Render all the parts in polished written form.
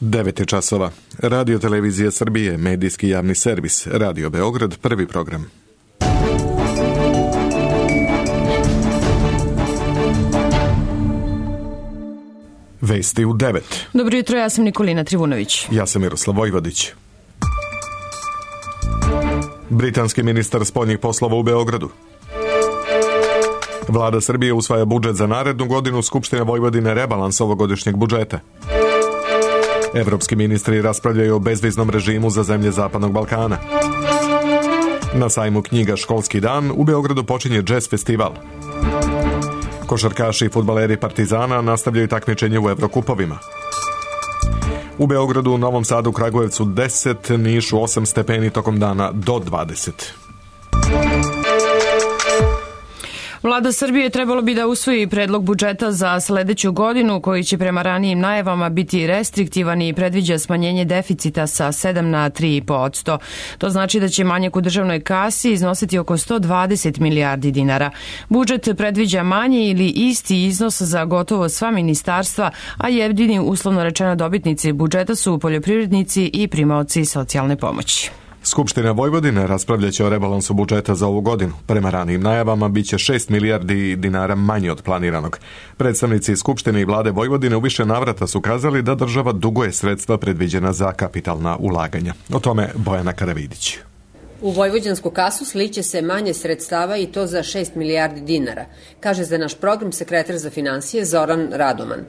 9 je časova. Radio Televizija Srbije, medijski javni servis, Radio Beograd, prvi program. Vesti u 9. Dobro jutro, ja sam Nikolina Trivunović. Ja sam Miroslav Vojvodić. Britanski ministar spoljnih poslova u Beogradu. Vlada Srbije usvaja budžet za narednu godinu, Skupština Vojvodine rebalans ovogodišnjeg budžeta. Evropski ministri raspravljaju o bezviznom režimu za zemlje Zapadnog Balkana. Na sajmu knjiga Školski dan u Beogradu počinje džez festival. Košarkaši i fudbaleri Partizana nastavljaju takmičenje u Evrokupovima. U Beogradu, Novom Sadu, Kragujevcu 10, Nišu 8 stepeni tokom dana do 20. Vlada Srbije trebalo bi da usvoji predlog budžeta za sledeću godinu koji će prema ranijim najavama biti restriktivan i predviđa smanjenje deficita sa 7 na 3,5%. To znači da će manjak u državnoj kasi iznositi oko 120 milijardi dinara. Budžet predviđa manji ili isti iznos za gotovo sva ministarstva, a jedini uslovno rečeno dobitnici budžeta su poljoprivrednici i primaoci socijalne pomoći. Skupština Vojvodine raspravljaće o rebalansu budžeta za ovu godinu. Prema ranijim najavama biće 6 milijardi dinara manje od planiranog. Predstavnici Skupštine i vlade Vojvodine u više navrata su kazali da država duguje sredstva predviđena za kapitalna ulaganja. O tome Bojana Karavidić. U vojvođansku kasu sliće se manje sredstava i to za 6 milijardi dinara, kaže za naš program sekretar za finansije Zoran Radoman.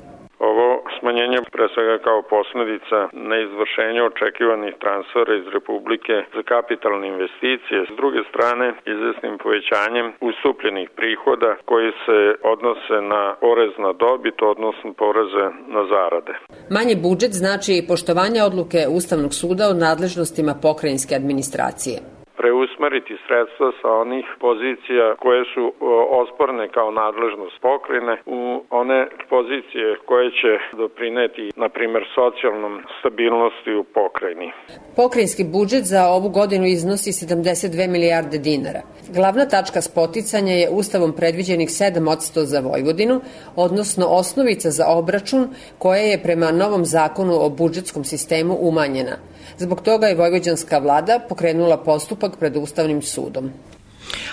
Smanjenje pre svega kao posledica neizvršenja očekivanih transfera iz Republike za kapitalne investicije, s druge strane izvesnim povećanjem ustupljenih prihoda koji se odnose na porez na dobit, odnosno poreze na zarade. Manji budžet znači i poštovanje odluke Ustavnog suda o nadležnostima pokrajinske administracije. Preusmeriti sredstva sa onih pozicija koje su osporne kao nadležnost pokrajine u one pozicije koje će doprineti, na primjer, socijalnom stabilnosti u pokrajini. Pokrajinski budžet za ovu godinu iznosi 72 milijarde dinara. Glavna tačka spoticanja je Ustavom predviđenih 7% za Vojvodinu, odnosno osnovica za obračun koja je prema novom zakonu o budžetskom sistemu umanjena. Zbog toga je vojvođanska vlada pokrenula postupak pred Ustavnim sudom.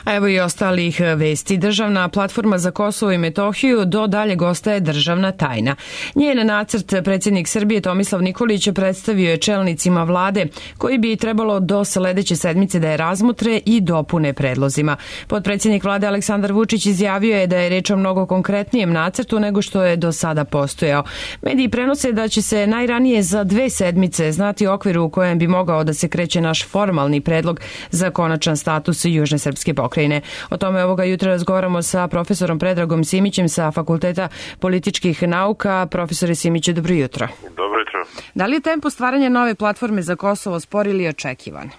A evo i ostalih vesti. Državna platforma za Kosovo i Metohiju do daljeg ostaje državna tajna. Njen nacrt predsjednik Srbije Tomislav Nikolić predstavio je čelnicima vlade koji bi trebalo do sledeće sedmice da je razmotre i dopune predlozima. Potpredsjednik vlade Aleksandar Vučić izjavio je da je reč o mnogo konkretnijem nacrtu nego što je do sada postojao. Mediji prenose da će se najranije za 2 sedmice znati okvir u kojem bi mogao da se kreće naš formalni predlog za konačan status Južne srpske pokrajine. O tome ovoga jutra razgovaramo sa profesorom Predragom Simićem sa Fakulteta političkih nauka. Profesore Simiću, dobro jutro. Dobro jutro. Da li je tempo stvaranja nove platforme za Kosovo spor ili očekivan?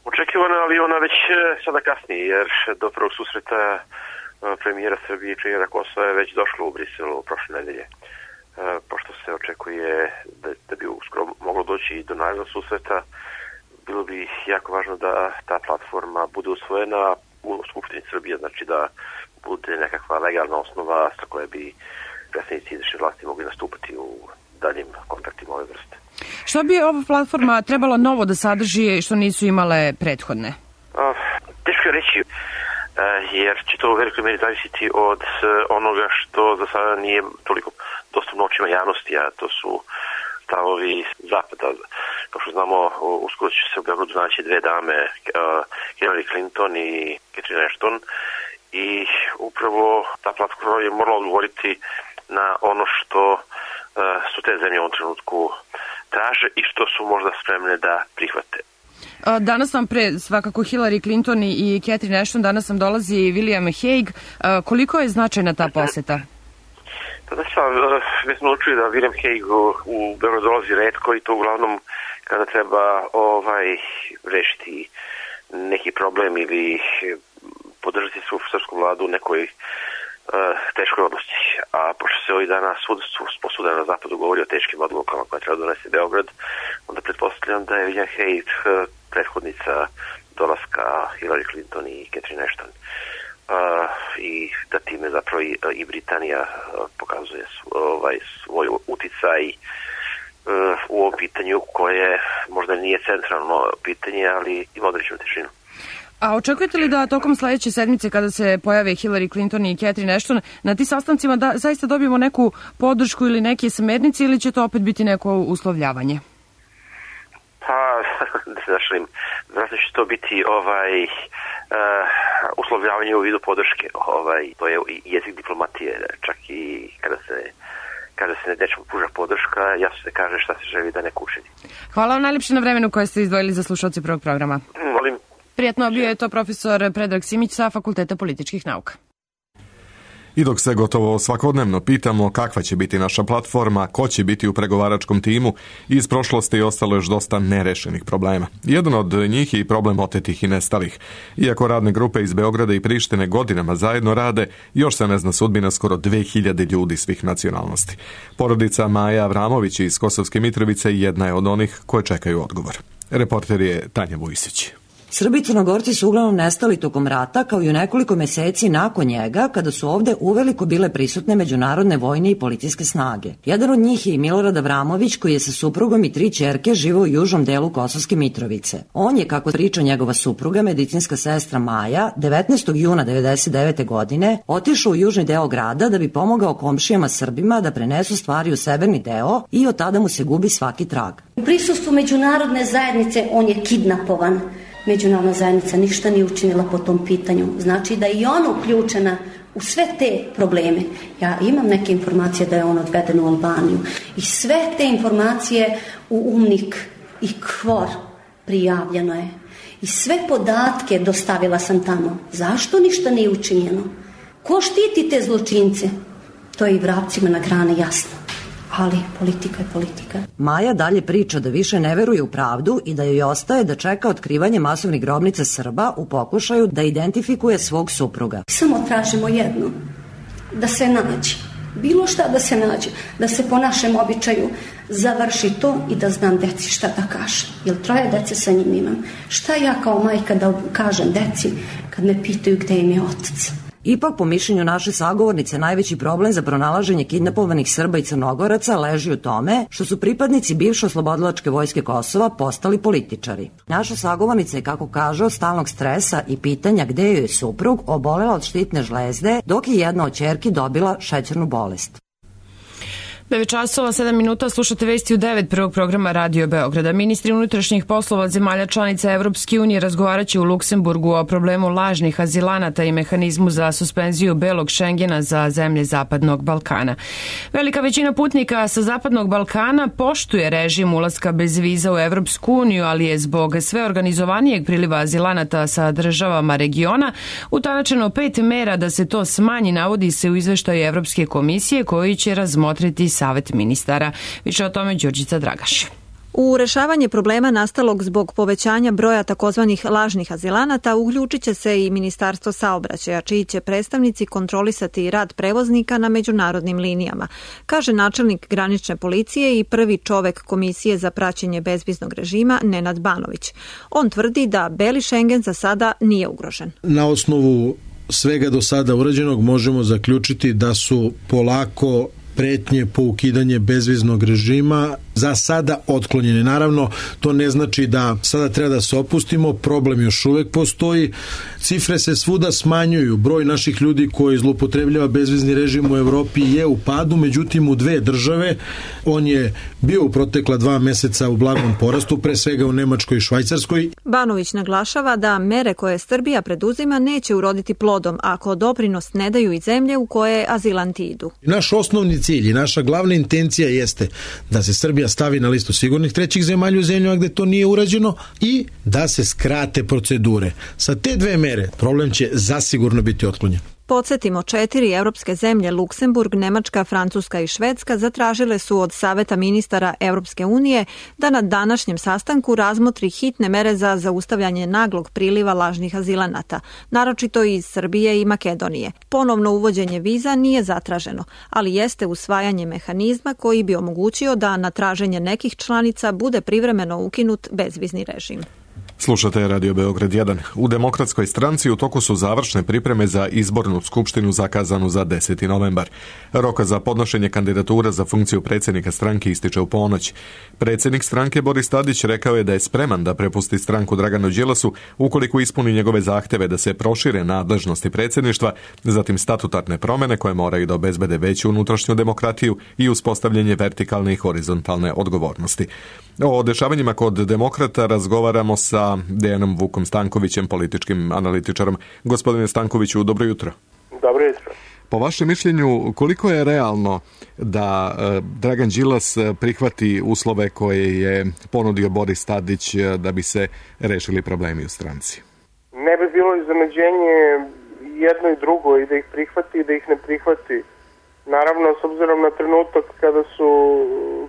Očekivano, ali ona već sada kasni, jer do prvog susreta premijera Srbije i premijera Kosova je već došlo u Briselu prošle nedelje. Pošto se očekuje da bi uskoro moglo doći i do narednog susreta, bilo bi jako važno da ta platforma bude usvojena u Skupštini Srbije, znači da bude nekakva legalna osnova sa koje bi predstavnici izvršne vlasti mogli nastupati u daljim kontaktima ove vrste. Što bi ova platforma trebala novo da sadrži što nisu imale prethodne? Teško je reći, jer će to u velikoj meri zavisiti od onoga što za sada nije toliko dostupno očima javnosti, a to su stavovi Zapada. Kao što znamo, uskoro će se u Beogradu naći 2 dame, Hillary Clinton i Catherine Ashton, i upravo ta platforma je morala odgovoriti na ono što su te zemlje u ovom trenutku traže i što su možda spremne da prihvate. Danas nam pre svakako Hillary Clinton i Catherine Ashton, danas nam dolazi William Hague. Koliko je značajna ta poseta? Već smo učili da William Hague u Beogradu dolazi retko i to uglavnom kada treba rešiti neki problem ili podržati svu srpsku vladu u nekoj teškoj odluci. A pošto se ovih dana posuda na zapadu govori o teškim odlukama koje treba donesti Beograd, onda pretpostavljam da je William Hague prethodnica dolaska Hillary Clinton i Catherine Ashton. I da time zapravo i Britanija pokazuje svoj uticaj u ovom pitanju koje možda nije centralno pitanje, ali ima određenu težinu. A očekujete li da tokom sledeće sedmice, kada se pojave Hillary Clinton i Catherine Ashton, na ti sastancima da zaista dobijemo neku podršku ili neke smernice, ili će to opet biti neko uslovljavanje? Pa, vjerojatno će to biti uslovljavanje u vidu podrške. To je jezik diplomatije, čak i kada se nečemu pruža podrška, jasno se kaže šta se želi da neko učini. Hvala vam najljepše na vremenu koje ste izdvojili za slušalce prvog programa. Molim. Prijatno, bio je to profesor Predrag Simić sa Fakulteta političkih nauka. I dok se gotovo svakodnevno pitamo kakva će biti naša platforma, ko će biti u pregovaračkom timu, iz prošlosti ostalo još dosta nerešenih problema. Jedan od njih je i problem otetih i nestalih. Iako radne grupe iz Beograda i Prištine godinama zajedno rade, još se ne zna sudbina skoro 2000 ljudi svih nacionalnosti. Porodica Maje Avramović iz Kosovske Mitrovice jedna je od onih koje čekaju odgovor. Reporter je Tanja Vujsić. Srbi i Crnogorci su uglavnom nestali tokom rata, kao i u nekoliko meseci nakon njega, kada su ovde uveliko bile prisutne međunarodne vojne i policijske snage. Jedan od njih je i Milorad Avramović, koji je sa suprugom i 3 ćerke živeo u južnom delu Kosovske Mitrovice. On je, kako priča njegova supruga, medicinska sestra Maja, 19. juna 1999. godine otišao u južni deo grada da bi pomogao komšijama Srbima da prenesu stvari u severni deo i od tada mu se gubi svaki trag. U prisustvu međunarodne zajednice on je kidnapovan. Međunarodna zajednica ništa nije učinila po tom pitanju. Znači da je i ona uključena u sve te probleme. Ja imam neke informacije da je on odveden u Albaniju i sve te informacije u UNMIK i KFOR prijavljeno je. I sve podatke dostavila sam tamo. Zašto ništa nije učinjeno? Ko štiti te zločince? To je i vrapcima na grani jasno. Ali politika je politika. Maja dalje priča da više ne veruje u pravdu i da joj ostaje da čeka otkrivanje masovnih grobnica Srba u pokušaju da identifikuje svog supruga. Samo tražimo jedno, da se nađe. Bilo šta da se nađe, da se po našem običaju završi to i da znam deci šta da kažem. Jer 3 dece sa njim imam. Šta ja kao majka da kažem deci kad me pitaju gde im je otac? Ipak, po mišljenju naše sagovornice, najveći problem za pronalaženje kidnapovanih Srba i Crnogoraca leži u tome što su pripadnici bivše oslobodilačke vojske Kosova postali političari. Naša sagovornica je, kako kaže, od stalnog stresa i pitanja gde joj je suprug obolela od štitne žlezde, dok je jedna od ćerki dobila šećernu bolest. 9 časova, 7 minuta, slušate vesti u 9 prvog programa Radio Beograda. Ministri unutrašnjih poslova zemalja članica Evropske unije razgovaraće u Luksemburgu o problemu lažnih azilanata i mehanizmu za suspenziju belog Šengena za zemlje Zapadnog Balkana. Velika većina putnika sa Zapadnog Balkana poštuje režim ulaska bez viza u Evropsku uniju, ali je zbog sve organizovanijeg priliva azilanata sa državama regiona utanačeno 5 mera da se to smanji, navodi se u izveštaju Evropske komisije koji će razmotriti Savet ministara. Više o tome Đurđica Dragaš. U rešavanje problema nastalog zbog povećanja broja takozvanih lažnih azilanata uključit će se i Ministarstvo saobraćaja, čiji će predstavnici kontrolisati rad prevoznika na međunarodnim linijama, kaže načelnik granične policije i prvi čovek Komisije za praćenje bezviznog režima Nenad Banović. On tvrdi da beli Šengen za sada nije ugrožen. Na osnovu svega do sada urađenog možemo zaključiti da su polako pretnje po ukidanje bezviznog režima za sada otklonjene. Naravno, to ne znači da sada treba da se opustimo, problem još uvek postoji. Cifre se svuda smanjuju, broj naših ljudi koji zloupotrebljava bezvizni režim u Evropi je u padu, međutim u 2 države on je bio u protekla 2 meseca u blagom porastu, pre svega u Nemačkoj i Švajcarskoj. Banović naglašava da mere koje Srbija preduzima neće uroditi plodom ako doprinos ne daju i zemlje u koje azilanti idu. Naš osnovni cilj i naša glavna intencija jeste da se Srbija stavi na listu sigurnih trećih zemalja u zemljama gde to nije urađeno i da se skrate procedure. Sa te 2 mere problem će zasigurno biti otklonjen. Podsjetimo, 4 evropske zemlje, Luksemburg, Nemačka, Francuska i Švedska, zatražile su od Saveta ministara Evropske unije da na današnjem sastanku razmotri hitne mere za zaustavljanje naglog priliva lažnih azilanata, naročito iz Srbije i Makedonije. Ponovno uvođenje viza nije zatraženo, ali jeste usvajanje mehanizma koji bi omogućio da na traženje nekih članica bude privremeno ukinut bezvizni režim. Slušate Radio Beograd 1. U Demokratskoj stranci u toku su završne pripreme za izbornu skupštinu zakazanu za 10. novembar. Rok za podnošenje kandidatura za funkciju predsjednika stranke ističe u ponoć. Predsjednik stranke Boris Tadić rekao je da je spreman da prepusti stranku Draganu Đilasu ukoliko ispuni njegove zahteve da se prošire nadležnosti predsjedništva, zatim statutarne promjene koje moraju da obezbede veću unutrašnju demokratiju i uspostavljanje vertikalne i horizontalne odgovornosti. O dešavanjima kod demokrata razgovaramo sa Dejanom Vukom Stankovićem, političkim analitičarom. Gospodine Stankoviću, dobro jutro. Dobro jutro. Po vašem mišljenju, koliko je realno da Dragan Đilas prihvati uslove koje je ponudio Boris Tadić da bi se rešili problemi u stranci? Ne bi bilo iznenađenje jedno i drugo, i da ih prihvati i da ih ne prihvati. Naravno, s obzirom na trenutak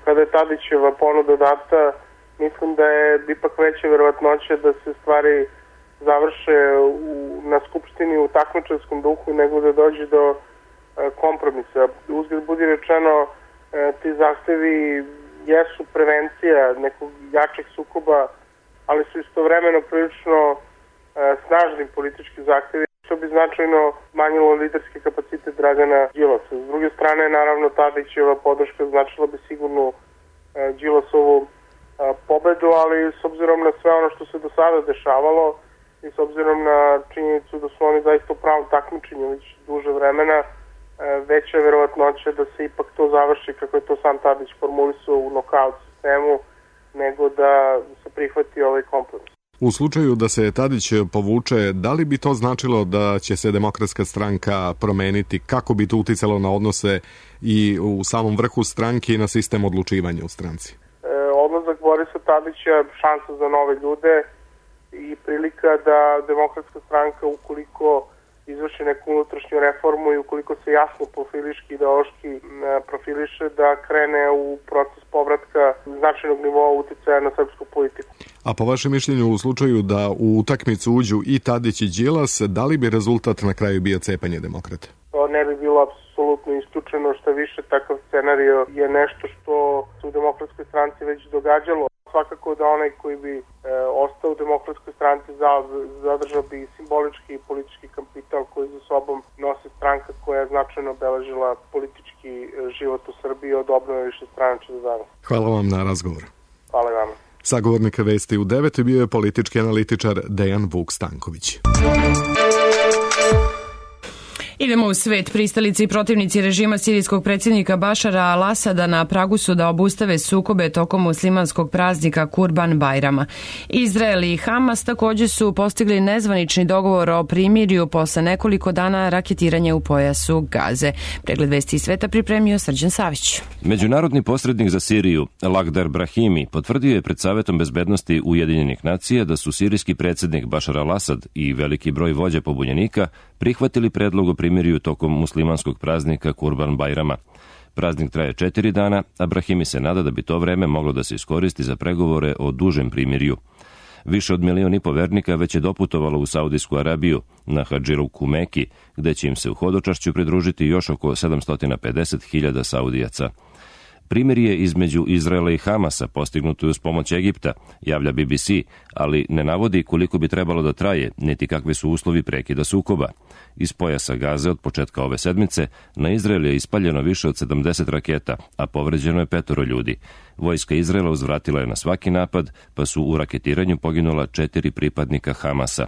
kada je Tadićeva ponuda data, mislim da je ipak veća verovatnoća da se stvari završe na skupštini u takmičarskom duhu nego da dođe do kompromisa. Uzgled budi rečeno, ti zahtevi jesu prevencija nekog jačeg sukoba, ali su istovremeno prilično snažni politički zahtevi, što bi značajno smanjilo liderski kapacitet Dragana Đilasa. S druge strane, naravno, Tadićeva podrška značila bi sigurno Đilasovu pobedu, ali s obzirom na sve ono što se do sada dešavalo i s obzirom na činjenicu da su oni zaista u pravom takmičenju već duže vremena, veća je verovatnoća da se ipak to završi kako je to sam Tadić formulisao u nokaut sistemu, nego da se prihvati ovaj kompromis. U slučaju da se Tadić povuče, da li bi to značilo da će se Demokratska stranka promeniti? Kako bi to uticalo na odnose i u samom vrhu stranke i na sistem odlučivanja u stranci? Odlazak Borisa Tadića je šansa za nove ljude i prilika da Demokratska stranka, ukoliko izvrši neku unutrašnju reformu i ukoliko se jasno profiliški, ideološki profiliše, da krene u proces povratka značajnog nivoa uticaja na srpsku politiku. A po vašem mišljenju, u slučaju da u utakmicu uđu i Tadić i Đilas, da li bi rezultat na kraju bio cepanje demokrata? To ne bi bilo apsolutno isključeno, što više takav scenario je nešto što se u Demokratskoj stranci već događalo. Svakako da onaj koji bi ostao u Demokratskoj stranci zadržao bi simbolički i politički kapital koji za sobom nosi stranka koja je značajno obeležila politički život u Srbiji od obnove višestranačja do danas. Hvala vam na razgovor. Hvala vam. Sagovornik Vesti u 9 bio je politički analitičar Dejan Vuk Stanković. Idemo u svet. Pristalici i protivnici režima sirijskog predsjednika Bašara al-Asada na pragu su da obustave sukobe tokom muslimanskog praznika Kurban Bajrama. Izrael i Hamas također su postigli nezvanični dogovor o primirju posle nekoliko dana raketiranja u pojasu Gaze. Pregled vesti iz sveta pripremio Srđan Savić. Međunarodni posrednik za Siriju, Lakhdar Brahimi, potvrdio je pred Savetom bezbednosti Ujedinjenih nacija da su sirijski predsjednik Bašar al-Asad i veliki broj vođa pobunjenika prihvatili predlog o primirju tokom muslimanskog praznika Kurban Bajrama. Praznik traje 4 dana, a Brahimi se nada da bi to vreme moglo da se iskoristi za pregovore o dužem primirju. Više od 1,5 miliona vernika već je doputovalo u Saudijsku Arabiju, na Hadžiluku Meki, gde će im se u hodočašću pridružiti još oko 750.000 Saudijaca. Primirje između Izraela i Hamasa postignuto je uz pomoć Egipta, javlja BBC, ali ne navodi koliko bi trebalo da traje, niti kakvi su uslovi prekida sukoba. Iz pojasa Gaze od početka ove sedmice na Izrael je ispaljeno više od 70 raketa, a povređeno je 5 ljudi. Vojska Izraela uzvratila je na svaki napad, pa su u raketiranju poginula 4 pripadnika Hamasa.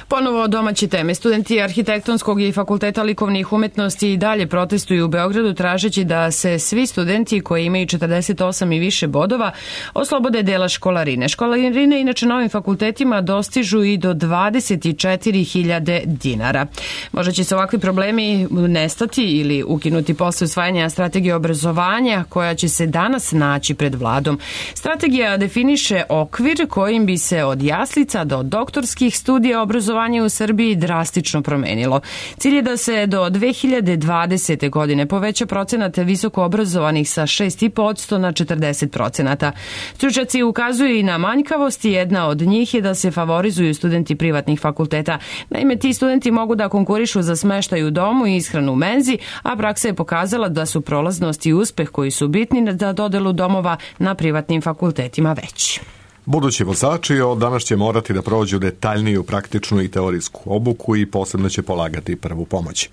Ponovo domaće teme. Studenti Arhitektonskog i Fakulteta likovnih umetnosti i dalje protestuju u Beogradu tražeći da se svi studenti koji imaju 48 i više bodova oslobode dela školarine. Školarine inače na ovim fakultetima dostižu i do 24.000 dinara. Možda će se ovakvi problemi nestati ili ukinuti posle usvajanja strategije obrazovanja koja će se danas naći pred vladom. Strategija definiše okvir kojim bi se od jaslica do doktorskih studija obrazovanje u Srbiji drastično promenilo. Cilj je da se do 2020. godine poveća procenat visoko obrazovanih sa 6,5% na 40%. Stručnjaci ukazuju i na manjkavosti. Jedna od njih je da se favorizuju studenti privatnih fakulteta. Naime, ti studenti mogu da konkurišu za smeštaj u domu i ishranu u menzi, a praksa je pokazala da su prolaznost i uspeh koji su bitni za dodelu domova na privatnim fakultetima veći. Budući vozači od danas će morati da prođu detaljniju praktičnu i teorijsku obuku i posebno će polagati prvu pomoć.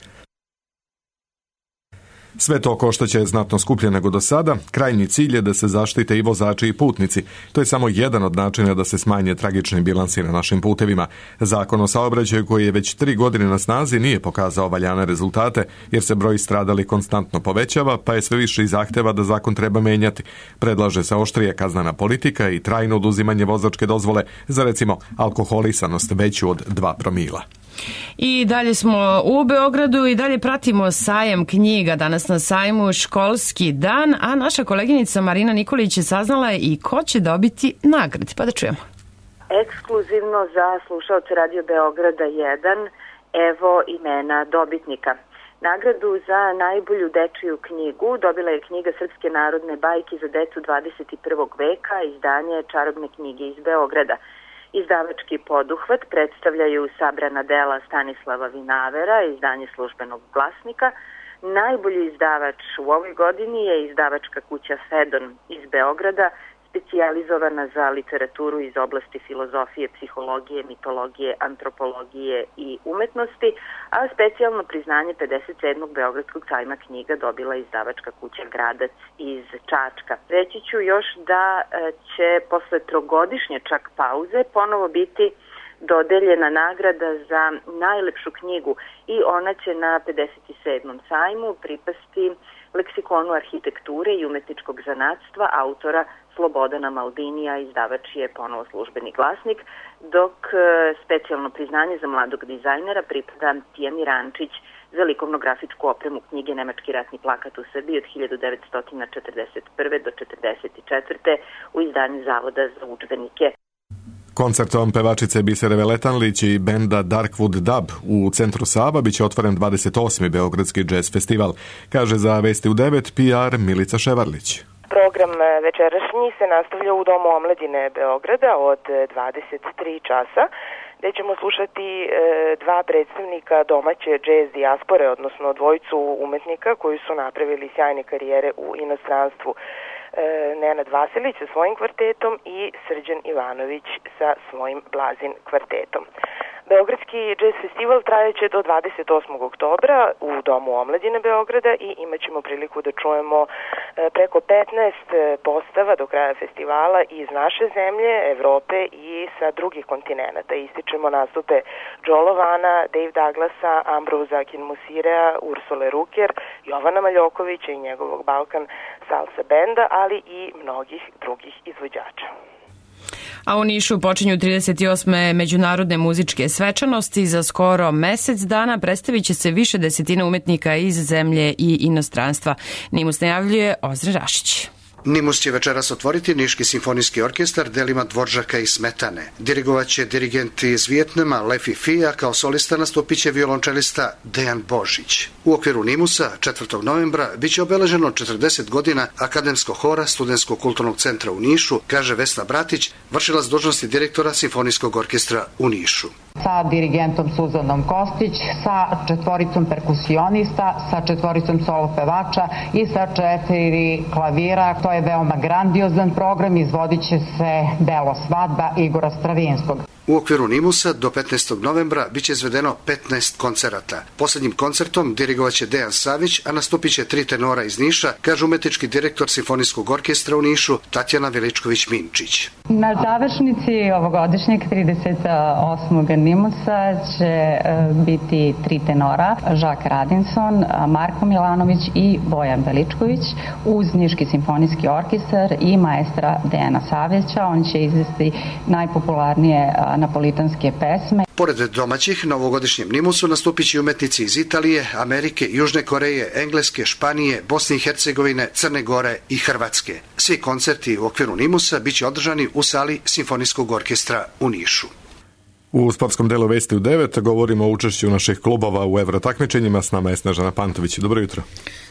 Sve to koštaće znatno skuplje nego do sada. Krajnji cilj je da se zaštite i vozači i putnici. To je samo jedan od načina da se smanje tragični bilansi na našim putevima. Zakon o saobraćaju koji je već 3 godine na snazi nije pokazao valjane rezultate jer se broj stradalih konstantno povećava, pa je sve više i zahteva da zakon treba menjati. Predlaže se oštrija kaznena politika i trajno oduzimanje vozačke dozvole za recimo alkoholisanost veću od 2 promila. I dalje smo u Beogradu i dalje pratimo sajam knjiga. Danas na sajmu školski dan, a naša koleginica Marina Nikolić je saznala i ko će dobiti nagrade. Pa da čujemo. Ekskluzivno za slušaoce Radio Beograda 1, evo imena dobitnika. Nagradu za najbolju dečiju knjigu dobila je knjiga Srpske narodne bajke za decu 21. veka, izdanje Čarobne knjige iz Beograda. Izdavački poduhvat predstavljaju sabrana dela Stanislava Vinavera, izdanje Službenog glasnika. Najbolji izdavač u ovoj godini je izdavačka kuća Fedon iz Beograda, specijalizovana za literaturu iz oblasti filozofije, psihologije, mitologije, antropologije i umetnosti, a specijalno priznanje 57. Beogradskog sajma knjiga dobila izdavačka kuća Gradac iz Čačka. Reći ću još da će posle 3-godišnje čak pauze ponovo biti dodeljena nagrada za najlepšu knjigu i ona će na 57. sajmu pripasti Leksikonu arhitekture i umetničkog zanatstva autora Slobodana Maldinija, izdavač je ponovo Službeni glasnik, dok specijalno priznanje za mladog dizajnera pripada Tijani Rančić za likovno-grafičku opremu knjige Nemački ratni plakat u Srbiji od 1941. do 1944. u izdanju Zavoda za udžbenike. Koncertom pevačice Bisere Veletanlić i benda Darkwood Dub u centru Sava biće otvoren 28. Beogradski jazz festival, kaže za Vesti u 9 PR Milica Ševarlić. Program večerašnji se nastavlja u Domu omladine Beograda od 23 časa, gde ćemo slušati 2 predstavnika domaće jazz dijaspore, odnosno dvojicu umetnika koji su napravili sjajne karijere u inostranstvu. Nenad Vasilić sa svojim kvartetom i Srđan Ivanović sa svojim Blazin kvartetom. Beogradski jazz festival trajeće do 28. oktobra u Domu omladine Beograda i imat ćemo priliku da čujemo preko 15 postava do kraja festivala iz naše zemlje, Evrope i sa drugih kontinenata. Ističemo nastupe Joe Lovana, Dave Douglasa, Ambroza Kinmusirea, Ursule Ruker, Jovana Maljokovića i njegovog Balkan Salsa benda, ali i mnogih drugih izvođača. A u Nišu počinju 38. međunarodne muzičke svečanosti. Za skoro mesec dana predstavit će se više desetina umetnika iz zemlje i inostranstva. Nimus najavljuje Ozre Rašić. Nimus će večeras otvoriti Niški simfonijski orkestar delima Dvoržaka i Smetane. Dirigovaće dirigent iz Vijetnama Lefi Fija, kao solista nastupiće violončelista Dejan Božić. U okviru Nimusa 4. novembra biće obeleženo 40 godina Akademskog hora Studentskog kulturnog centra u Nišu, kaže Vesna Bratić, vršilac dužnosti direktora Simfonijskog orkestra u Nišu. Sa dirigentom Suzanom Kostić, sa 4 perkusionista, sa 4 solo pevača i sa 4 klavira. To je veoma grandiozan program, izvodit će se delo Svadba Igora Stravinskog. U okviru Nimusa do 15. novembra biće izvedeno 15 koncerata. Poslednjim koncertom dirigovaće Dejan Savić, a nastupit će 3 tenora iz Niša, kaže umetnički direktor Simfonijskog orkestra u Nišu Tatjana Veličković-Minčić. Na završnici ovogodišnjeg 38. Nimusa će biti 3 tenora, Žak Radinson, Marko Milanović i Bojan Veličković, uz Niški simfonijski orkestar i maestra Dejana Savića. On će izvesti najpopularnije napolitanske pesme. Pored domaćih, na ovogodišnjem Nimusu nastupit će umetnici iz Italije, Amerike, Južne Koreje, Engleske, Španije, Bosne i Hercegovine, Crne Gore i Hrvatske. Svi koncerti u okviru Nimusa biće održani u sali Simfonijskog orkestra u Nišu. U sportskom delu Vesti u 9 govorimo o učešću naših klubova u evrotakmičenjima. S nama je Snežana Pantović. Dobro jutro.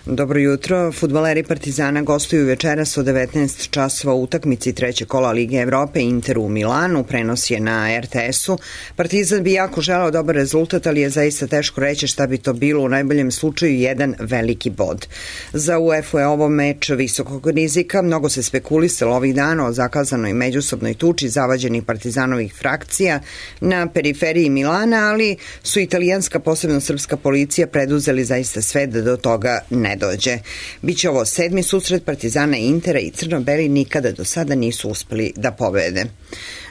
Dobro jutro. Fudbaleri Partizana gostuju večeras od 19 časova u utakmici trećeg kola Lige Evrope Inter u Milanu. Prenos je na RTS-u. Partizan bi jako želeo dobar rezultat, ali je zaista teško reći šta bi to bilo, u najboljem slučaju jedan veliki bod. Za UEFA je ovo meč visokog rizika. Mnogo se spekulisalo ovih dana o zakazanoj međusobnoj tuči zavađenih Partizanovih frakcija na periferiji Milana, ali su italijanska, posebno srpska policija preduzeli zaista sve da do toga ne dođe. Biće ovo 7. susret Partizana i Intera i crno-beli nikada do sada nisu uspeli da pobede.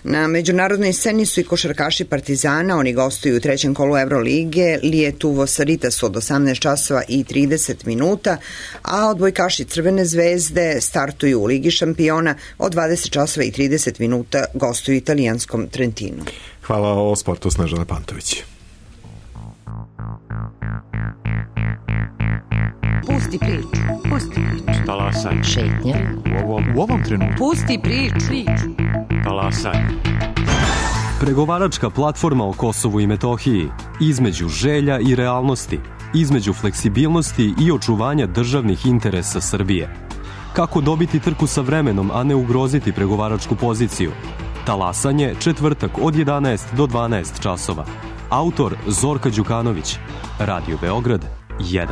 Na međunarodnoj sceni su i košarkaši Partizana, oni gostuju u trećem kolu Evrolige, Lietuvo Saritas od 18 časova i 30 minuta, a odbojkaši Crvene zvezde startuju u Ligi šampiona od 20 časova i 30 minuta, gostuju italijanskom Trentinu. Hvala. O sportu Snežana Pantović. Pusti priču, pusti priču. Talasaj. Šetnja. U ovom trenutku. Pusti priču. Talasaj. Pregovaračka platforma o Kosovu i Metohiji, između želja i realnosti, između fleksibilnosti i očuvanja državnih interesa Srbije. Kako dobiti trku sa vremenom, a ne ugroziti pregovaračku poziciju? Talasanje, četvrtak od 11 do 12 časova. Autor Zorka Đukanović. Radio Beograd 1.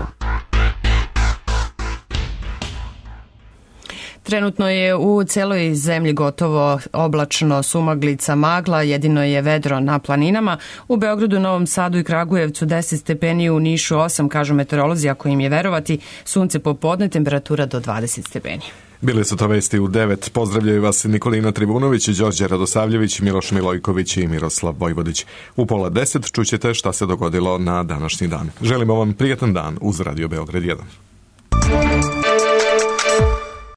Trenutno je u celoj zemlji gotovo oblačno, sumaglica, magla, jedino je vedro na planinama. U Beogradu, Novom Sadu i Kragujevcu 10 stepeni, u Nišu 8, kažu meteorolozi, ako im je verovati, sunce popodne, temperatura do 20 stepeni. Bili su to vesti u 9. Pozdravljaju vas Nikolina Tribunović, Đorđe Radosavljević, Miloš Milojković i Miroslav Vojvodić. U 9:30 čućete šta se dogodilo na današnji dan. Želimo vam prijatan dan uz Radio Beograd 1.